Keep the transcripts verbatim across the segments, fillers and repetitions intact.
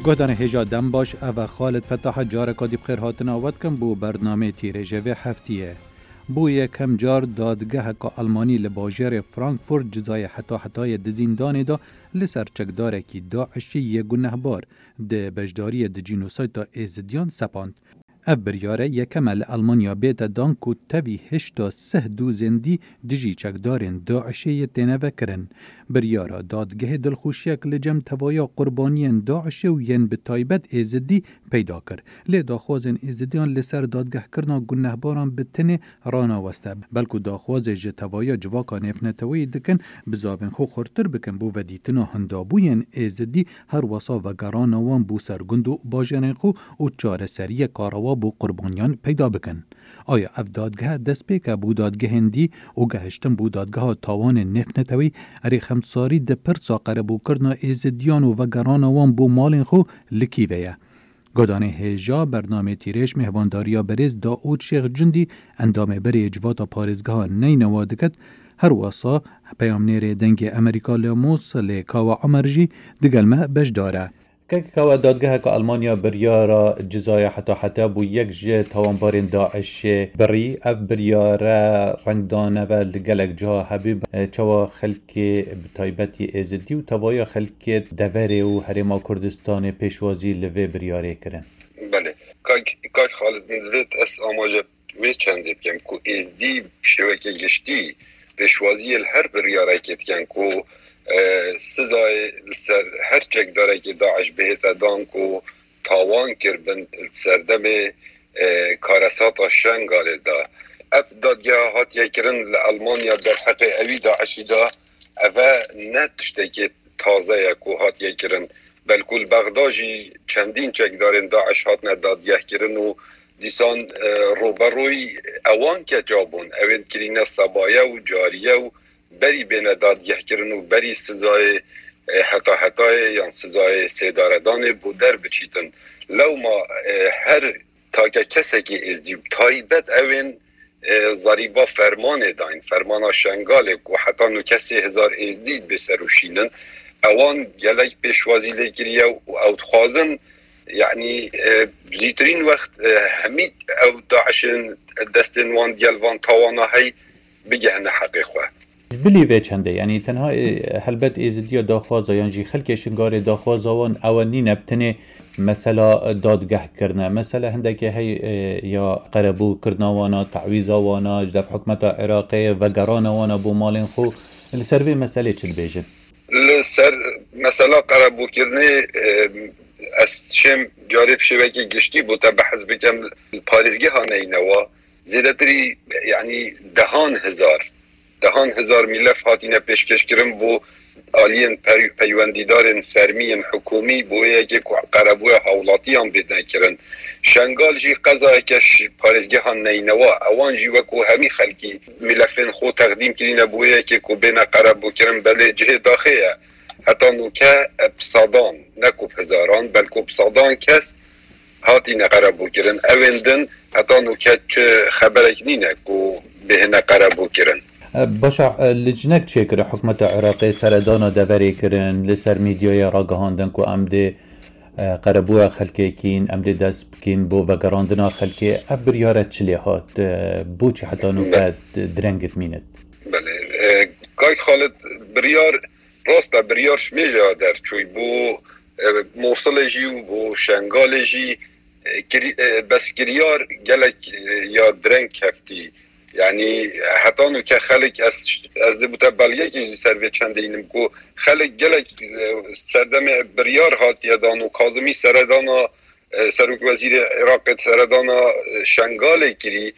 Guhdarên hêja dem baş, ev e Xalid Fetah, careka dî bi xêr hatina we dikim bo bernameyê Tîrêjê vê heftiyê. Bo yekem car dadgeheka Almanî li bajêrê Frankfurt cizayê heta hetayê di zîndanê de li ser çekdarekî DAIŞ'î yê gunehbar di beşdariyê di cînosayda Êzidiyan sepand. Ev biryar e yekem e li Almanya bête dan ku tevî hişta sih dozên dî dijî çekdarên DAIŞ'ê yê têne vekirin. Biryara dadgehê dilxweşiyek li cem tevaya qurbaniyên DAIŞ'ê û yên bi taybet Êzidî peyda kir. Lê daxwazên Êzidiyan li ser dadgehkirina gunehbaran bi tenê ranaweste. Belku daxwazê ji tevaya civaka nêvneteweyî dikin, bizavên xwe xurtir bikin bo vedîtina hindabûyên Êzidî, her wesa vegerana wan bo ser gund û bajêrên xwe û çareseriyeka rewa bo qurbaniyan peyda bikin. Aya ev dadgeh destpêk e bo dadgehên dî û gehiştin bo dadgeha tawanên nêvneteweyî? Erê, xemsarî di pirsa qerebûkirina Êzidiyan û vegerana wan bo malên xwe li kî ve ye? Guhdarên hêja bernameyê Tîrêj mêhvandariya berêz Daûd Şêx Cundî, endamê berê yê Civata Parêzgeha Neynewa diket, her wesa peyamnêrê Dengê Amerîka li Mûsilê Kawa Omer jî digel me beşdar e. Kek Kawa, dadgeheka Almanya biryara cizaya heta heta bo yek ji tawanbarên DAIŞ'ê birî. Ev biryare rengdane ve li gelek ciha hebî, çawa xelkê bi taybetî Êzidî û tevaya xelkê deverê û Herêma Kurdistanê pêşwazî li vê biryarê kirin? Belê. Kak, Kak Xalid, min divêt ez amaje wê çendê bikim ku Êzdî bi şêwekê giştî pêşwaziyê li her biryarekê dikin ku, e, sizayê li ser her çekdarekê DAIŞ bihête dan ku tawan kiribin li serdemê, e, karesata Şengalê de. Ev dadgeha hatiye kirin li Almanya derheqê ewî DAIŞ'î de, eve ne tiştekê taze ye ku hatiye kirin. Belku li Bexda jî çendîn çekdarên DAIŞ hatine dadgehkirin û dîsan, e, rûberûyî ewan keça bûn. Ewên kirîne sebaye û cariye û berî bêne dadgehkirin û berî sizayê, e, heta hetayê yan sizayê sêdaredanê bo der biçîtin. Lewma, e, her take kesekî Êzdî û taybet ewên, e, zerîba fermanê dayîn, fermana Şengalê ku heta nû kesê hezar Êzdî bê ser û şînin, ewan gelek pêşwazî lê kiriye û ew dixwazin, yanî, e, zîtirîn wext, e, hemî ew DAIŞ'in destên wan digel van tawana hey bigehine heqê xwe. Ji bilî vê çendê, yanî tenha, e, helbet Êzidiya daxwaza yan jî xelkê Şingalê daxwaza wan ewe nîne bi tenê mesela dadgehkirine. Mesela hindekê hey, e, ya qerebûkirina wana, tawîza wana, ji dev hikûmeta Iraqê, vegerana wana bo malên xwe. Li ser vê meselê çi dibêjin? Li ser mesela qerebûkirinê, e, ez şêm carê bi şêwekê giştî bo te behs bikim, li parêzgeha Neynewa zêdetirî, yanî dehan hezar, dehan hezar mîlef hatine pêşkêşkirin bo aliyên pey-, peywendîdarên fermî yên hikûmî, bo yekê ku qerebûya hawlatiyan bêne kirin. Şengal jî qezayeke ji parêzgeha Neynewa, ewan jî wekû hemî xelkî mîlefên xwe teqdîm kirîne bo yekê ku bêne qerebûkirin, belê cihê daxê ye. Heta nûke bi sedan, ne ku bi hezaran, belku bi sedan kes hatîne qerebûkirin. Ewên din heta nûke çi xeberek nîne ku bihêne qerebûkirin. E, baş e, e, licnek çêkire hikûmeta Iraqê seredana deverê kirin, li ser medyayê ragihandin ku em dê, e, qerebûya xelkê kîn, em dê dest bikîn bo vegerandina xelkê. Ev biryare çi lê hat? E, boçî heta nûke direng dimînit? Belê. E, Kak Xalid, biryar, rast e, biryar ji mêja derçûy bo, e, Mûsilê jî û bo Şengalê jî, e, kirî-, e, bes kiryar gelek, e, ya direng keftî. Yanî heta nûke xelk, ez, ez dê bo te belgekê jî ser vê çendê înim ku xelk gelek, e, serdemê biryar hatiye dan û Kazimî seredana, e, Serokwezîrê Iraqê seredana, e, Şengalê kirî.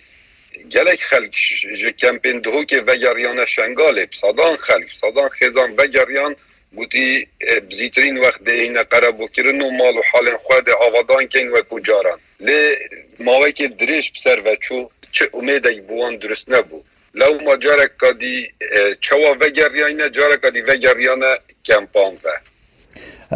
Gelek xelk ji, ji kempên Duhokê vegeriyane Şengalê. Bi sedan xelk, bi sedan xêzan vegeriyan, gotî, e, bi zîtirîn wext dê hîne qerebûkirin û mal û halên xwe dê avadan keyn wekû caran. Lê mawekê dirêj bi ser ve çû, çi umêdek bi wan dirust nebû. Lewma careka dî, e, çawa vegeriyayne, careka dî vegeriyane kempan ve.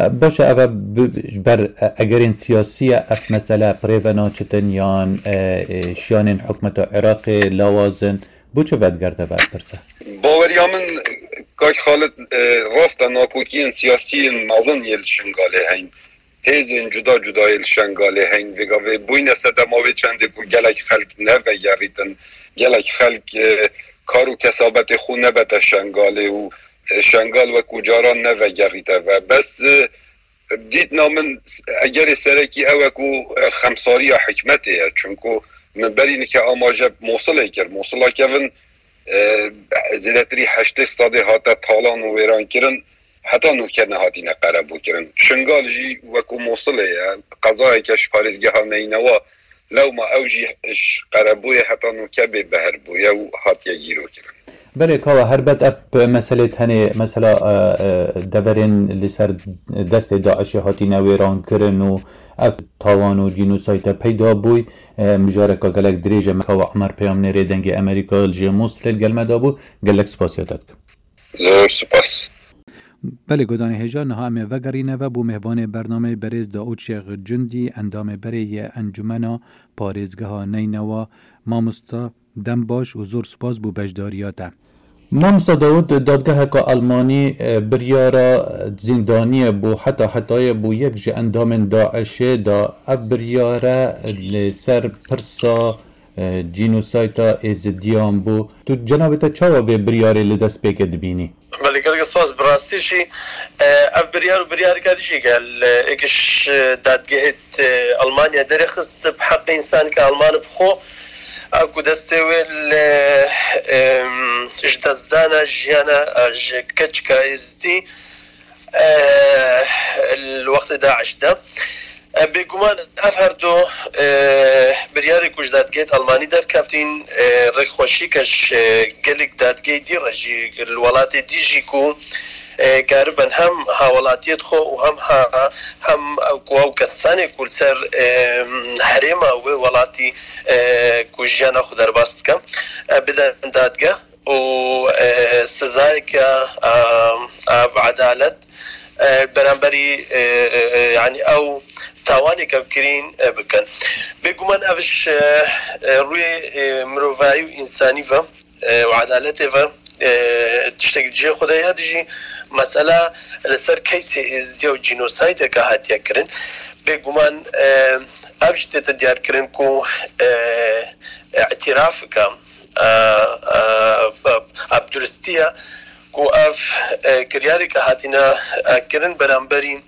E, baş e, ev e bi, ji ber, e, egerên siyasî ye, ev mesele bi rê ve naçitin yan, e, e, şiyanên hikûmeta Iraqê lawaz in? Bo çi vedigerte vê pirsê? Baweriya min, Kak Xalid, e, rast e, nakokiyên siyasî yên mezin yê li Şingalê heyn. hêzên cuda cudayê li Şengalê heyn. Vê gavê bûyne sedema wê çendê ku gelek xelk nevegerîtin, gelek xelk, e, kar û kesabetê xwe nebete Şengalê û, e, Şengal wekû caran nevegerîte ve. Bes, e, dîtina min egerê serekî ew e ku, e, xemsariya hikmetê ye. Çunku min berî nike amaje Mosilê kir. Mosila kevin, e, zêdetirî heştê sedê hate talan û wêran kirin. Heta nûke nehatîne qerebû kirin. Şingal jî wekû Mosilê ye. Qezayeke ji parêzgeha Neynewa, lewma ew jî ji qerebûyê heta nûke bê behr bûye û hatiye gîrokirin. Belê kawa, herbet ev meselê tenê mesela, e, e, deverên li ser destê DAIŞê hatîne wêran kirin û ev tawan û cînosayte peyda bûy, e, mijareka gelek dirêj e. Me kawa Emer Peyamnêrê Dengê Amerîka li jê Mosilê li gel me dabû. Gelek spasiya te dikim. Zor spas. Belê, godanê hêja, niha em ê vegerîne ve bo mêvanê bernameyê berêz Daûd Şêx Cundî, endamê berê yê Encumena Parêzgeha Neynewa. Mamosta, dem baş û zor spas bo beşdariya te. Mamosta Dawud, dadgeheka Almanî, e, biryara zîndaniyê bo heta hetayê bo yek ji endamên DAIŞê da. Ev biryare li ser pirsa e, cînosayta êzidiyan bû. Tu cenabê te çawa vê biryarê li destpêkê dibînî? Belê, gelek spas. Bi rastî jî, e, ev biryar û biryareke dijî gel, e, êk ji dadgehê, e, Almanya derêxist bi heqê însaneke Alman bi xwe, a ku destê wê li, e, em, ji destdana jiyana, e, ji keçika êzidî, e, li wextê DAIŞ de. E, bêguman ev her du, e, biryarê ku ji dadgehê Almanî derkevtîn, e, rêkxweşîke ji gelek dadgehê dî re jî li welatê dî jî ku, e, karibin hem hawelatiyê xwe û hem ha, hem ew ku ew kesanê ku li ser, e, herêma wê welatî, e, ku jiyana xwe derbas dike, e, bidin dadgeh û, e, sizayeke, e, e, edalet, e, beramberî, e, e, e, yanî ew tawanê kevkirîn, e, bikin. Bêguman ev ji, e, e, rûyê, e, mirovayî û însanî ve, e, û edaletê ve, e, tiştek cihê xwe de ye. Dijî mesela li ser keysê êzidiya û cînosaydeke hatiye kirin. Bêguman, e, ev jî tête diyarkirin ku, e, îtirafeke, e, e, e, bi duristî ye ku ev, e, kiryareke hatine, e, kirin beramberî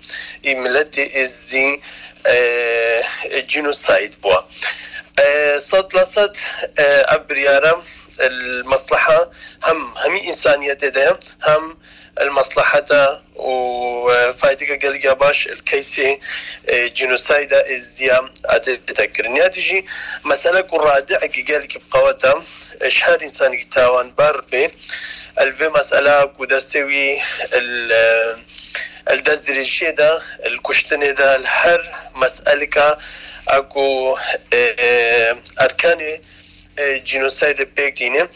î miletê êzdî, e, cînosayd bûye. E, sed la sed, e, ev biryare, e, li mesleha hem hemî însaniyetê de ye, hem li mesleheta û, e, faydeke gelek ya baş li keysê, e, cînosayda êzdiya adete kirin. Ya dijî mesele ku radiekî gelekî bi qewet e, e, ji her însanekî tawanbar bê, e, li vê mesela ku destê wî li, e, li dest dirêjiyê de, li kuştinê de, li her meselika a ku, e, e, erkanê, e, cînosaydê pêk tîne,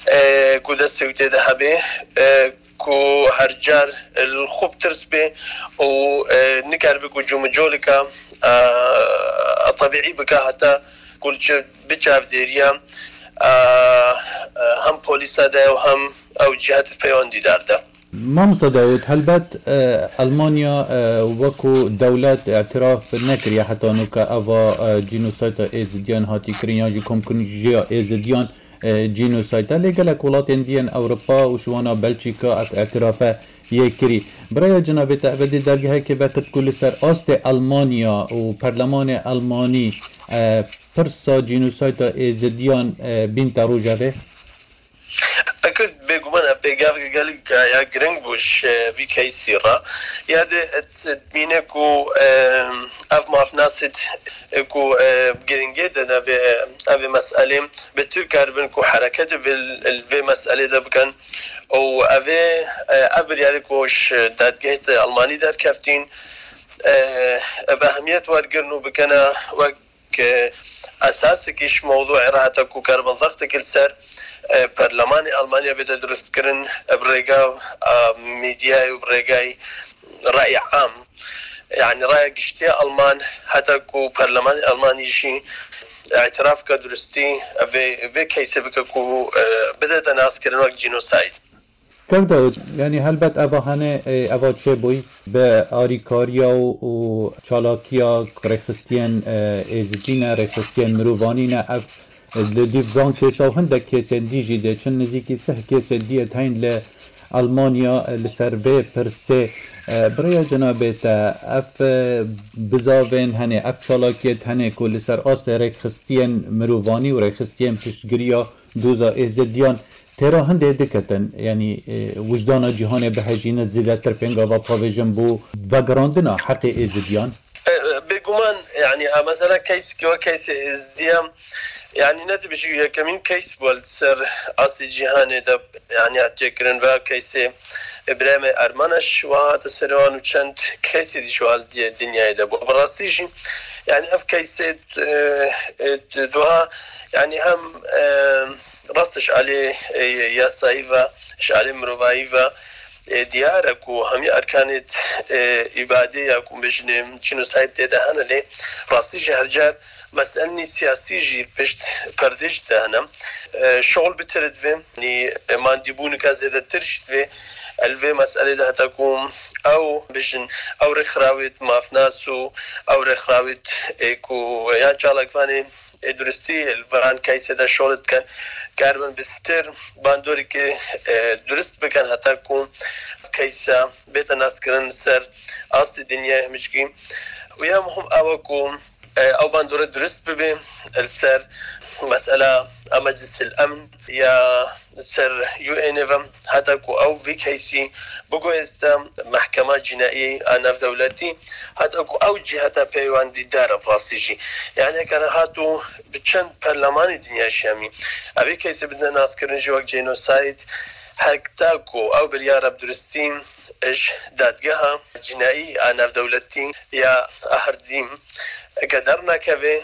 e, ku destê wî tê de hebe, e, ku her car, e, li xwe bi tirs bê û, e, nikaribe ku cûmicolika, e, tebîî bike heta ku li çi-, bi çavdêriya, e, e, hem polîsa de û hem ew cihetê peywendîdar de. Mamosta Dawud, helbet, e, Almanya, e, wekû dewlet îtiraf nekiriye heta nûke eva, e, cînosayta êzidiyan hatî kirin yan jî komkujiya êzidiyan e, cînosayta. Lê gelek welatên dî yên Ewropa û ji wana Belçîka ev îtirafe yê kirî. Bi raya cenabê te, ev dê dergehekê vekirt ku li ser astê Almanya û Perlemanê Almanî, e, pirsa cînosayta êzidiyan, e, bînte rojevê? Ekid bêguman ev pêgaveke gelek ya giring bû ji vî keysî re. Ya de dibîne ku, e, ev mafnasê ku, e, giringê dine vê, evê meselê, bi tu karibin ku hereketê vê, vê meselê de bikin û evê, e, ev biryarê ku ji dadgehê Almanî derkeftîn, e, bi ehemiyet wergirin û bikene wek, e, esasekî ji mewdûê re heta ku karibin zextekî li ser, e, perlemanê Almanya bête durustkirin, e, bi rêga, e, medyayê û bi rêgay rayê am. Yanî raya giştî ya Alman, heta ku perlemanê Almanî jî îtirafeke durustî vê, vê keysê bike ku, e, bidete naskirin wek cînosayd. Kevdawid, yanî helbet eva hene, e, eva çêbûy bi arîkariya û, û çalakiya rêxistiyên, e, êzidî ne, rêxistiyên mirovanî ne, ev li dîv van kêsa û hindek kêsên dî jî dê çin, nizîkî sih kêsên dî êd heyn li Almanya, e, li ser vê pirsê. E, bi rêya cenabê te, ev, e, bizavên hene, ev çalakiyêt hene ku li ser astê rêxistiyên mirovanî û rêxistiyên piştgiriya doza êzidiyan têra hindê diketin, yanî, e, wijdana cîhanê bihejîne zêdetir pêngava pavêjin bo vegerandina heqê êzidiyan? E, e, bêguman, yanî, a mesela keysî ki wek keysê êzidiyan, yanî, ne dibêjî yekemîn keys bû li ser astê cîhanê de, yanî, hat çêkirin ve keysê Îbrahîmê Ermaneş wa hate serê wan û çend keysê dî ji wa li dinyayê de bû. Bi rastî jî, yanî, ev keysê, e, e, duha, yanî, hem, e, rast ji alê, e, yasayî ve, ji alê mirovayî ve, e, diyar e ku hemî erkanê, e, îbadê ya ku bijinê jînosayt tê de hene, lê rastî jî her car meselnî siyasî jî pişt perdê jî de hene. E, şol bitir divê, yanî, e, mandîbûnika zêdetir jî divê, e, li vê meselê de heta ku ew bijin, ew rêxrawêt mafnas û ew rêxrawêt, e, ku ya çalakvanê, e, duristî li van keysê de şol dikin, karibin bitir bandorîkê, e, durist bikin heta ku keysa bête naskirin li ser astê dinyayê hemîşkî. Û ya muhim ew e ku, e, ew bandore durist bibe li ser mesela a Meclisil Emn ya ser U N ve, heta ku ew vî keysî biguhêzte Mehkema Cînaî a Navdewletî, heta ku ew cîheta peywendîdar e bi rastî jî. Yanî heke re hat û bi çend perlemanê dinya jî hemî evê keysê bidine naskirin jî wek cênosayd, heta ku ew biryara bi duristî ji dadgeha cînaî a navdewletî ya Ahrdîm heke dernakeve,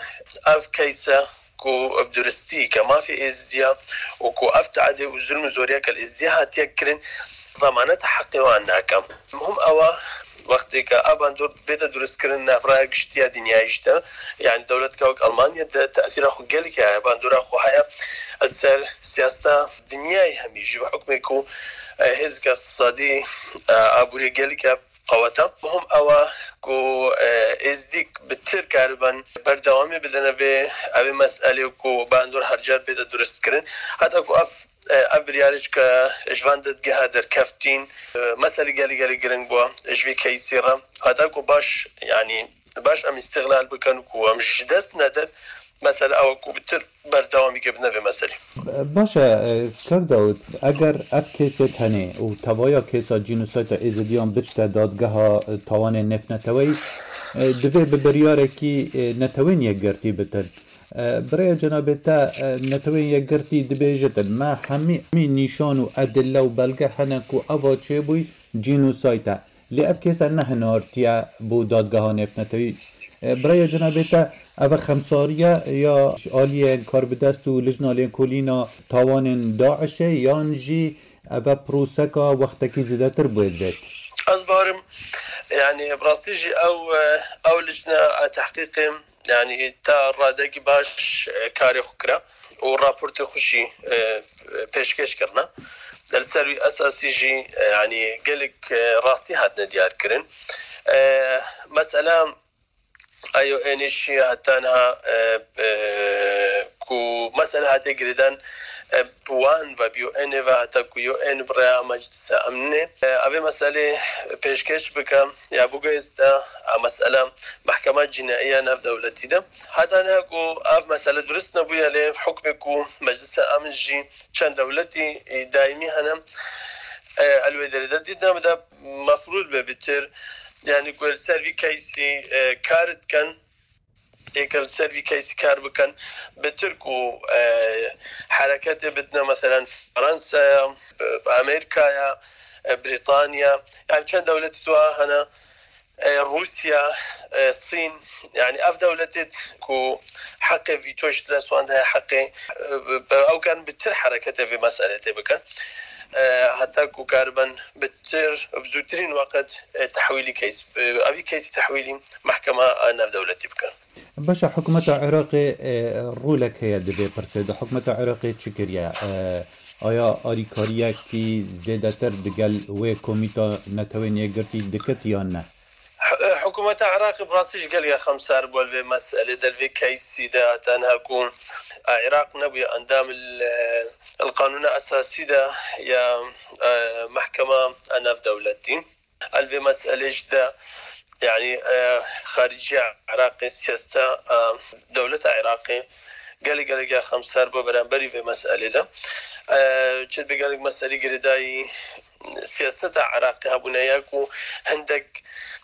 ev keyse ku bi duristî ke mafê êzidiya û ku ev teadê û zulm û zoriya ke li êzidiya hatiye kirin, zemaneta heqê wan nake. Muhim ew e, wextê ke ev bandor bête duristkirin nav raya giştî ya dinyayê jî de, yanî dewletka wek Almanya de tesîra xwe gelek heye, bandora xwe heye li ser siyaseta dinyayê hemî jî, bi hukmê ku, e, hêzeke iqtisadî, e, aborî gelek e qeweta. Muhim ew e ku, e, êzdîk bitir karibin berdewamî bidine vê, evê meselê ku bandor her car bête duristkirin. Heta ku ev, e, ev biryarê ji ke ji van dadgeha derkeftîn, e, meselê gelî gelî giring bû ji vî keysî re. Heta ku baş, yanî baş em îstîxlal bikin ku em ji dest nedin, mesele ew e ku bitir berdewamî ke bidine vê meselê. Baş e, e, Kak Dawid, eger ev kêsêt hene û tevaya kêsa cînosayta êzidiyan biçte dadgeha, e, tawanên nêvneteweyî, e, divê bi biryarekî, e, Netewên Yekgirtî bitin. E, bi rêya cenabê te, e, Netewên Yekgirtî dibêjitin, me hemî, hemî nîşan û edille û belge hene ku eva çêbûyî cînosayt e. Lê ev kêsa nehinartiye bo dadgeha nêvnetewî. E, bi rêya cenabê te, ev e xemsariye ya ji aliyên karbidest û lijna lêkolîna tawanên DAIŞê, yan jî ev e proseka wextekî zêdetir bûye divêt? Ez barim, yanî bi rastî jî ew, e, ew lijna, e, tehqîqê, yanî ta radekî baş, e, karê xwe kira û raportê xwe jî, e, pêşkêş kirine. Li ser wî esasî jî, e, yanî gelek, e, rastî hatine diyar kirin. E, mesela, eyo ênî jî heta niha, e, e, ku mesela hate girêdan, e, bi wan ve bi yo ênê ve heta ku yo ên bi rêya Meclisa Emnê, e, evê meselê pêşkêş bike ya biguhêzte, e, mesela Mehkema Cînaiya Navdewletî de. Heta niha ku ev mesele durist nebûye, lê hukmê ku Meclisa Emn jî çend dewletî, e, daîmî hene, e, el wê derê de dîtine bide, mefrûd be bitir, yanî ku li ser vî keysî, e, kar dikin, êke li ser vî keysî kar bikin, bitir ku, e, hereketê bidine, meselen, Fransaya, e, Amerîkaya, e, Brîtanya, yanî çend dewletî tu hene, e, Rûsya, e, Sîn, yanî ev dewletê ku heqê vîto ji dest wan de heye, heqê, e, ew karin bitir hereketê vê meselê tê bikin. E, heta ku karibin bitir, bi zûtirîn weqt, e, tehwîlî keys, e, evî keysî tehwîlî mehkema, e, navdewletî bikin. Baş e, hikûmeta Iraqê, e, rolek heye di vê pirsê de. Hikûmeta Iraqê çi kiriye? E, Aya alîkariyekî zêdetir digel wê Komîta Netewên Yekgirtî dikit yan ne? Hi-, hikûmeta Iraqê bi rastî jî gelek xemsar bû li vê meselê de, li vê keysî de, tenha ku, e, Iraq nebûye endam li, li qanûna esasî de ya, e, mehkema navdewletî. Li vê meselê jî de, yanî, e, xariciya Iraqê, siyaseta, e, dewleta Iraqê gelek gelek ya xemsar bû beramberî vê meselê de. E, çi bi gelek meselî girêdayî siyaseta Iraqê hebûne ya ku hindek,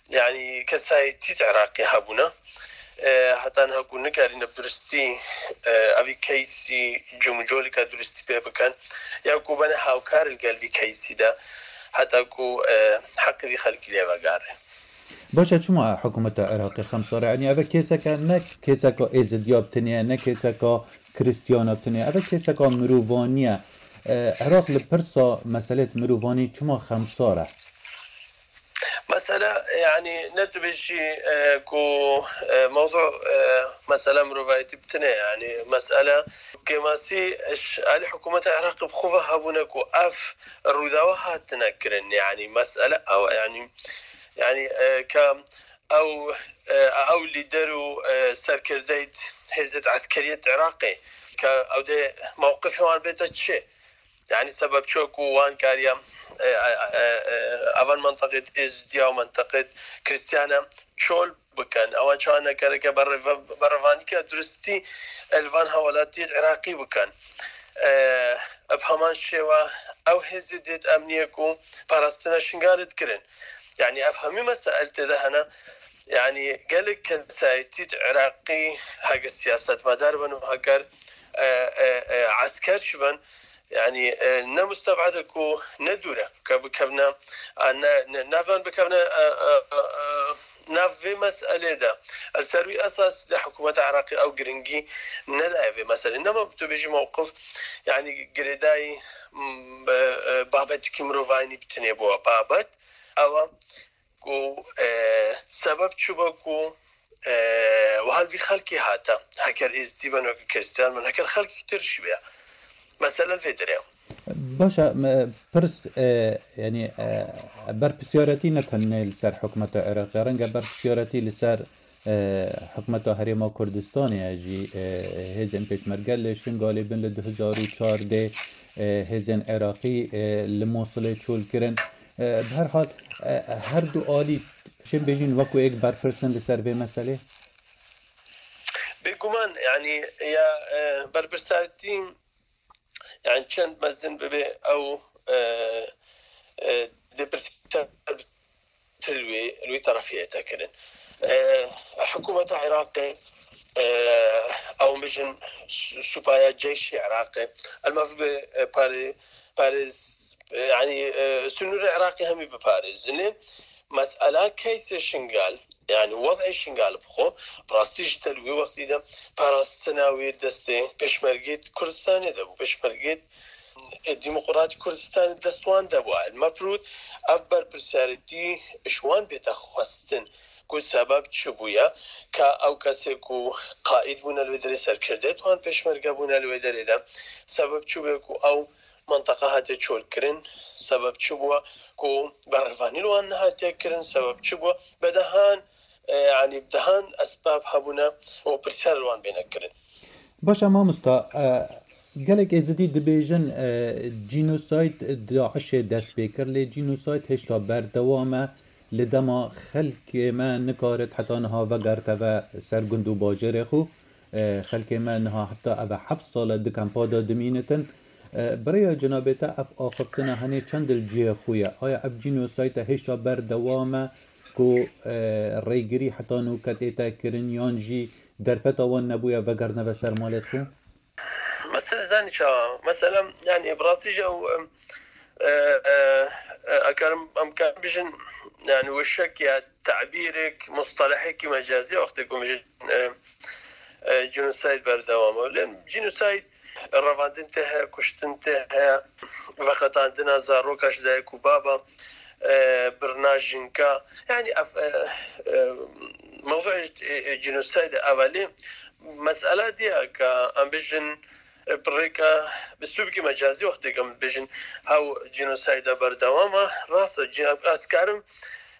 yanî, kesayetî di Iraqê hebûne. E, heta niha ku nikarîne bi duristî, e, evî keysî cumcolika duristî pê bikin, ya ku bene hawkar li gel vî keysî de, heta ku, e, heqê vî xelkî lê vegere. Baş e, çima hikûmeta Iraqê xemsar e? Yanî ev e kêseke, ne kêseka êzidiya bi tinê ye, ne kêseka kristiyana bi tinê ye. Ev e kêseka mirovaniye. E, Iraq li pirsa meselêt mirovanî çima xemsar e? Mesela, yanî, ne tu bêjî, e, ku, e, mewzu, e, mesela mirovayetî bi tinê, yanî, mesela kêmasî ji alî hikûmeta Iraqê bi xwe ve hebûne ku ev rûdawa hatine kirin, yanî, mesela ew, yanî, yanî, e, ka ew, e, ew lîder û, e, serkirdeyê hêzê eskeriyê Iraqê, ka ew dê mewqifê wan bête çi? Yanî sebeb çi ku wan kariye, e, e, e, e, evan menteqê Êzidiya û menteqê Kristiyana çol bikin. Ewan çawa nekereke bereva-, berevanîke duristî, e, li van hewelatiyê Iraqî bikin. E, bi heman şêwe ew hêzê dêt emniyê ku parastina Şingalê dikirin. Yanî ev hemî mesail tê de hene. Yanî gelek kesayetî Iraqî heger siyasetmedar bin û heger, e, e, e, esker çi bin, yanî, e, ne musteb'ed e ku ne dûr e, ke bikevne, e, ne, ne, ne van bikevne, e, e, e, e, nav vê meselê de. Li ser wî esas de hikûmeta Iraqê ew giringî nedaye vê meselê. Nema ku tu bêjî mewqif, yanî girêdayî, m, e, e, babetikî mirovayî bi tinê bû. Babet ew e ku, e, sebeb çi bû ku, e, wiha li vî xelkê hate. Heker êzidî bin, weke Kristiyan bin, heker xelkek tir jî be. Mesela li vê derê. Baş e, me, pirs, e, yanî, e, berpirsiyaretî ne tenê li ser hikûmeta Iraqê, renge berpirsiyaretî li ser, e, hikûmeta Herêma Kurdistanê ye jî, e, hêzên pêşmerge li Şingalê bin li du hezar û çardeh, e, hêzên Iraqî, e, li Mosilê çol kirin. E, bi her hal, e, her du alî, şên bêjin wekû êk berpirs in li ser vê meselê? Bêguman, yanî, ya, e, berpirsatî, yanî çend mezin bibe ew, e, e, dê pirsî ser li wê, li wê terefê hate kirin. E, hikûmeta Iraqê, e, ew bijin su-, supaya ceyşê Iraqê, el mefrûd be, e, parê-, parêz, e, yanî, e, sinûrê Iraqê hemî biparêzin. Lê mesela keysê Şingal, yanî wez'ê Şingal bi xwe, bi rastî ji te li wê wextî de parastina wê destê pêşmergê Kurdistanê de bû. Pêşmergê Demokratîk Kurdistanê dest wan de bû. El mefrûd ev berpirsiyarîtî ji wan bête xwestin ku sebeb çi bûye, ka ew kesê ku qaîd bûne li wê derê, serkirdeyê wan pêşmerge bûne li wê derê de, sebeb çi bûye ku ew menteqa hate çolkirin, sebeb çi bûye ku berhevanî li wan nehatiye kirin, sebeb çi bûye bedehan, e, yanî dehan esbab hebûne û pirsiyar li wan bêne kirin. Baş e mamosta, e, gelek êzidî dibêjin, e, cînosayd DAIŞê dest pê kir, lê cînosayd hêşta berdewam e. Li dema xelkê me nikarit heta niha vegerteve ser gund û bajêrê xwe. E, xelkê me niha heta eve heft sal e di kempa de dimînitin. E, bi rêya cenabê te ev axiftina henê çend li cihê xwe ye? Aya ev cînosayd e hêşta berdewam e ku, e, rêgirî heta nûket ê te kirin yan jî derfeta wan nebûye vegertneve ser malêt xwe? Mesela zanî çawa? Mesela, yanî, bi rastî jî ew, em, e, e, e, eger em, em karin bijin, yanî, wişek ya tabîrek, mustalehekî mecazî, wextê ku bijin, e, e, cînosayd berdewam e. Lê cînosayd revandin tê heye, kuştin tê heye, veqetandina zaroka ji dayik û baba, e, birina jinka. Yanî ev, e, e, mewduê, e, e, cînosaydê ev e. Lê mesela diya ka em bijin, Bi rêka, bi sûbkî mecazî wextê em bêjin, hew cînosayda berdewam e, rast e, cî-, ez karim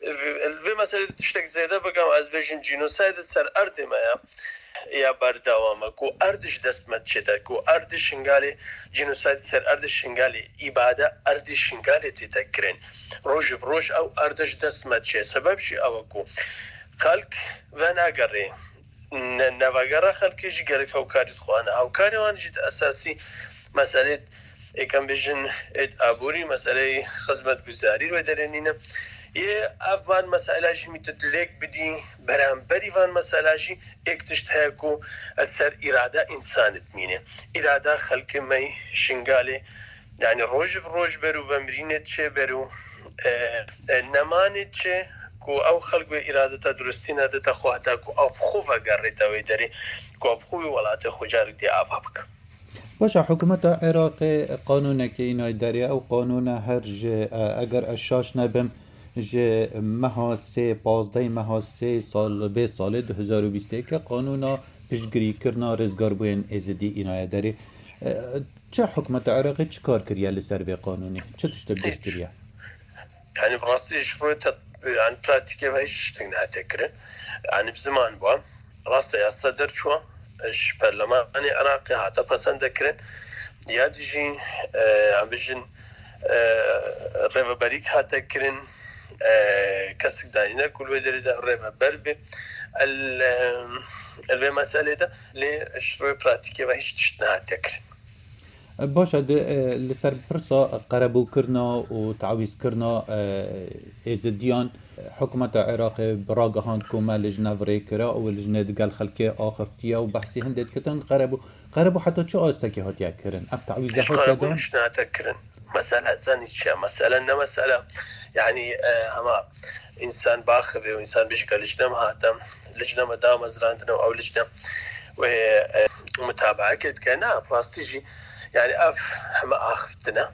vê, vê meselê tiştek zêde bikim, ez bêjim cînosayda ser erdê me ya, ya berdewam e, ku erd ji dest me diçête, ku erd Şingalê, cînosayda ser erd Şingalê, îbade erdê Şingalê tê te kirin. Roj bi roj ew erd ji dest me diçe. Sebeb jî ew e ku xelk venagere. Ne-, nevegera xelkê jî gelek hewkarî dixwane. Hewkarê wan jî di esasî meselê, êkem bêjin, êd aborî, meseleyê xizmetguzarî wê derê nîne. Yê ev van mesela jî mî tu dilêk bidî, beramberî van mesela jî êk tişt heye ku li ser îrada însanê dimîne. Îrada xelkê me yê Şingalê, yani roj bi roj ber û vemirînê diçe ber û, e, e, nemanê diçe ku ew xelk wê îradeta durustî nedite xwe heta ku ew bi xwe vegerîte wê derê, ku ew bi xwe wî welatê xwe carek dê ava bike. Baş e, hikûmeta Iraqê qanûnekê înayî derê, ew qanûne her ji, e, eger ez şaş nebim, ji meha sê, pazdehê meha sê sal, vê salê du hezar û bîst û yek e, qanûna piştgirîkirina rizgarbûyên Êzidî înaye derê. E, çi hikûmeta Iraqê çi kar kiriye li ser vê qanûnê? Çi tişt tebdîl kiriye? Yani bi rastî ji xwe te-, yani pratîkê ve hiç tiştek nehatiye kirin. Yani bi ziman bû. Rast e, yasa derçûwa, e, ji perlemanê Iraqê hate pesende kirin. Ya dijî, e, em bijin, e, rêveberîk hate kirin, e, kesik danîne ku li wê derê de rêveber be. El, e, el vê meselê de lê ji rûyê pratîkê ve hiç tişt nehatiye kirin. Baş e, di, e, li ser pirsa qerebûkirina û tawîzkirina, e, êzidiyan, hikûmeta Iraqê bi ragihand ku me lijne virêkira û lijne digel xelkê axiftiye û behsî hindê dikitin, qerebû, qerebû heta çi astekê hatiye kirin? Ev tawîze hatiye dan? Hiç qerebûn nehate kirin. Mesele zanî çi ye? Mesele ne mesele, yani, e, hema însan baxivê û însan bêjike lijne me hate, lijne me damezrandine û ew lijne wê, e, mutabaeke dike. Na, rastî jî, yani, ev heme axiftine.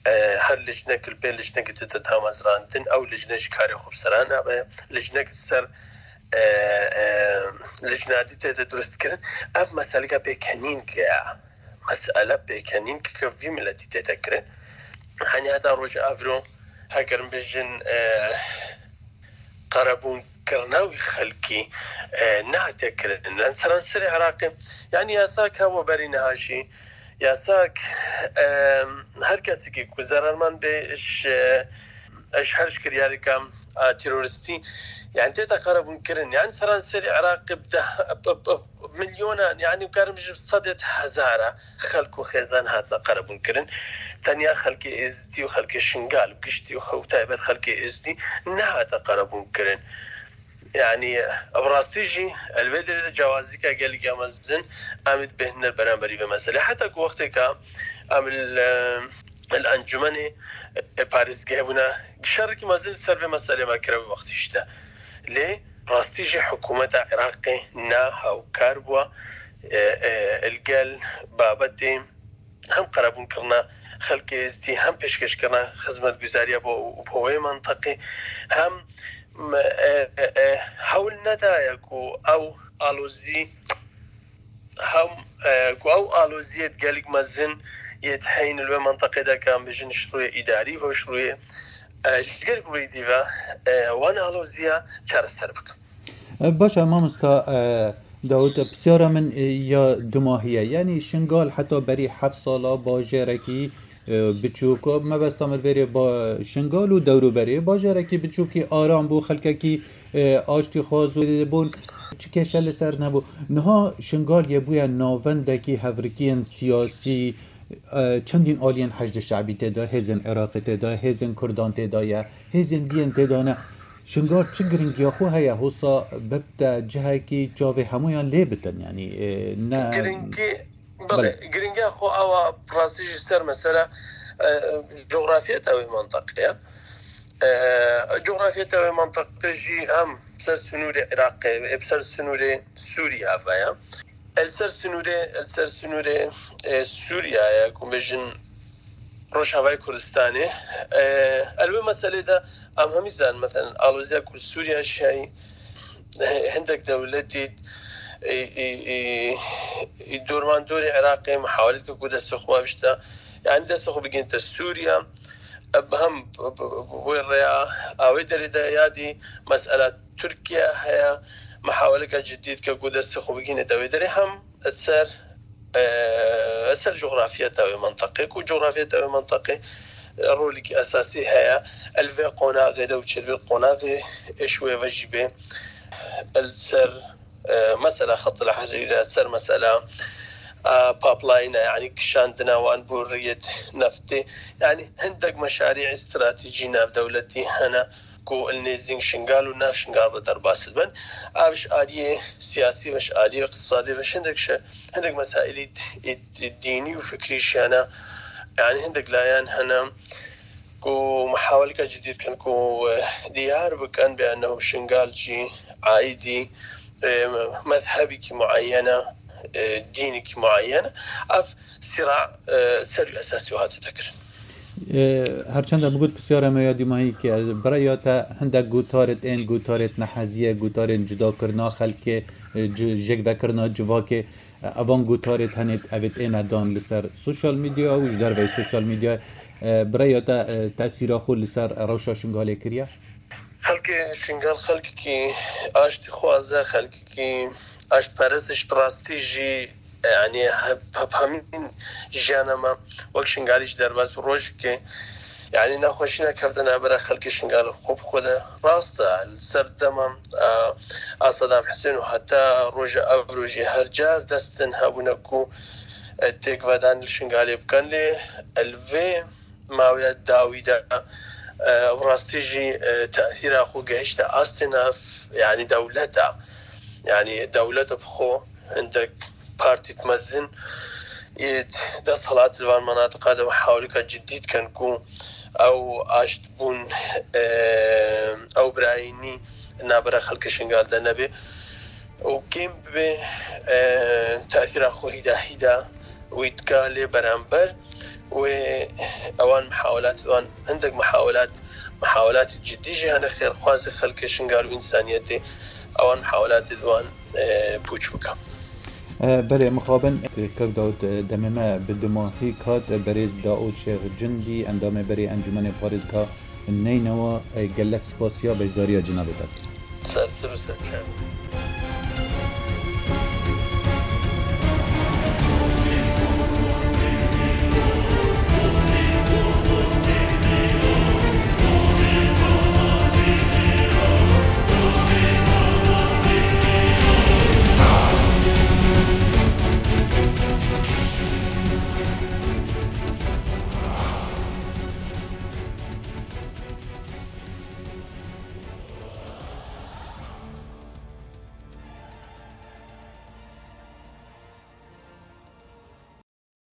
E, her lijnek li pê lijnekê tête damezrandin, ew lijne ji karê xwe bi sera nabe, lijnek ser, e, e, lijnadî tête durustkirin. Ev meseleke pêkenîn ke ye. Mesele pêkenîn ke vî miletî tête kirin. Henî heta roja evro, heger em bêjin, e, qerebûnkirina wî xelkî, e, nehatiye kirin. Li seranserê Iraqê, yani yasak hebû berî niha jî, yasak, e, her kesekî ku zerarmend be ji, ji her ji kiryarêka, e, terorîstî, yani tête qerebûnkirin. Yani seranserê Iraqê bi deh, bi, bi, milyonan, yani karim ji sedê hezara xelk û xêzan hatine qerebûnkirin. Tenya xelkê Êzidî û xelkê Şingal û giştî û xew taybet xelkê Êzidî nehate qerebûnkirin. Yani, bi rastî jî, li vê derê de cewazîka gelekî mezin em ê dibêhnine beramberî vê meselê. Heta ku wextêka em li, li encûmenê, e, parêzgehê bûne, şerekî mezin li ser vê meselê me kiribe wextî jî de. Lê rastî jî hikûmeta Iraqê ne hewkar bû, e, e, li gel babetê hem qerebûnkirina xelkê Êzidî, hem pêşkêşkirina xizmetguzariya bo, bo wê menteqê, hem, e, e, e, hewl nedaye ku ew alozî, hem, e, ku ew aloziyê gelek mezin yê diheyîn li wê menteqê de, ke em bêjin ji rûyê îdarî ve, ji rûyê, e, ji gelek rûyê dî ve, e, wan aloziya çareser bikin. E, baş e, mamosta, e, Dawud, e, pisyara min, e, ya dumahî ye. Yanî Şingal heta berî heft sala bajêrekî, e, biçûk, mebesta min vêrê ba-, Şingal û dewrûberê bajêrekî biçûkî aram bû, xelkekî, e, aştîxwaz û bûn, çi kêşe li ser nebû. Niha Şingal yê bûye navendekî hevrikiyên siyasî, e, çendîn aliyên Heşdê Şebî tê de, hêzên Iraqê tê de, hêzên Kurdan tê de ye, hêzên diyên tê de ne. Şingal çi giringiya xwe heye, hosa bibte cihekî çavê hemûyan lê bitin, yanî, e, ne Giringî, belê, Belê. Giringiya xwe ew e, rastî jî ser mesela, e, cografiyeta wê menteqê ye. E, cografiyeta wê menteqê jî hem ser sinûrê Iraqê, hem ser sinûrê Sûriye ve ye. El ser sinûrê, el ser sinûrê, e, Sûriye ye, ku bêjin Rojavayê Kurdistanê. E, el wê meselê de em hemî zanin, mesela, aloziya ku Sûriye jî heye, hindek dewletî, ê, ê, ê, ê dormandorê Iraqê mihawele dike ku destê xwe bişta, yani destê xwe bigihînte Sûriye. Ev hem wê rêya a wê derê de ya dî mesela Tirkiye heye, mihaweleke cidî dike ku destê xwe bigihînete wê derê, hem ser, e, ser cografiyeta wê menteqê, ku cografiyeta wê menteqê, e, rolekî esasî heye. El vê qonaxê de û çêtir vê qonaxê êş wê ve jî bê. El ser, e, mesela Xet el Hezîre, ser mesela, e, pipeline, yani kişandina wan bo riyet neftê. Yani hindek meşarî stratejî navdewletî hene ku li nêzîng Şingal û nav Şingal re derbas dibin. Ev ji aliyê siyasî ve, ji aliyê iqtisadî ve, ji hindek şe-, hindek mesaîlî d-, d-, dînî û fikrî jî hene. Yani hindek layan hene ku mihaweleke cidî dikin ku, eh, diyar bikin bi ennehu Şingal jî aîdî, eh, mezhebekî muayyen e, eh, dînekî muayyen e. Ev sîra, eh, ser wî esasî hatiye kirin. Her çend min got pisyara me ya dîmahî ke bi raya te hindek gotarêt ên, gotarêt neheziyê, gotarên cudakirina xelkê, e, ci-, jêkvekirina civakê, e, evan gotarêt henêt evêt êne dan li ser sosyal medya û ji derveyî sosyal medya, e, bi raya te, e, tesîra xwe li ser rewşa Şingalê kiriye? Xelkê Şingal xelkekî aştîxwaz e, xelkekî aştperest e, ji bi rastî jî, yani, hep, hep hemîn jiyana me wek Şingalî ji derbas rojekê, yani, nexweşî nekevde navbera xelkê Şingal xwe bi xwe de. Rast e, li ser dema, e, a Sedam Hisên û heta roja ev rojê her car destin hebûne ku, e, têkvedan li Şingalê bikin, lê, e, li vê mawiya dawî de, e, bi rastî jî, e, tesîra xwe gehişte astê nav, yani dewleta, yani dewleta bi xwe hindek partît mezin ê desthilat li van menatiqa de mihaweleka cidî dikin ku ew aştbûn, e, ew birayînî navbera xelkê Şingal de nebe û kêm bibe, e, tesîra xwe hîda hîda wî dika lê beramber wê ewan mihawelat wan hindek mihawelat, mihawelatê cidî jî hene xêrxwazê xelkê Şingal û însaniyetê ewan mihawelatê di wan, e, pûç bike. E, belê, mixabin, Kak Dawud, e, demê me bi dumahî kat, e, berêz Dao Şêx Cindî, endamê berê Encûmenê Parêzgeha Neynewa, e, gelek spasiya beşdariya cenabê te. Ser siv û ser çav.